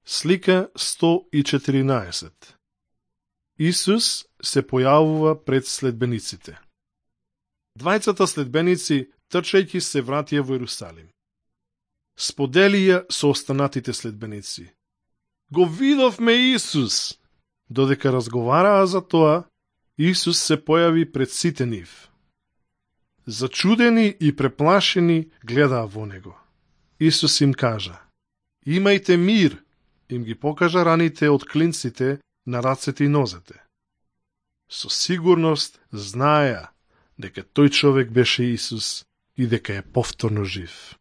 Слика 114. Исус се појавува пред следбениците. Двајцата следбеници трчајќи се вратија во Ерусалим. Споделија со останатите следбеници: "Го видовме Исус!" Додека разговараа за тоа, Исус се појави пред сите нив. Зачудени и преплашени гледаа во него. Исус им кажа: "Имајте мир!" Им ги покажа раните од клинците на рацете и нозете. Со сигурност знаеа дека тој човек беше Исус и дека е повторно жив.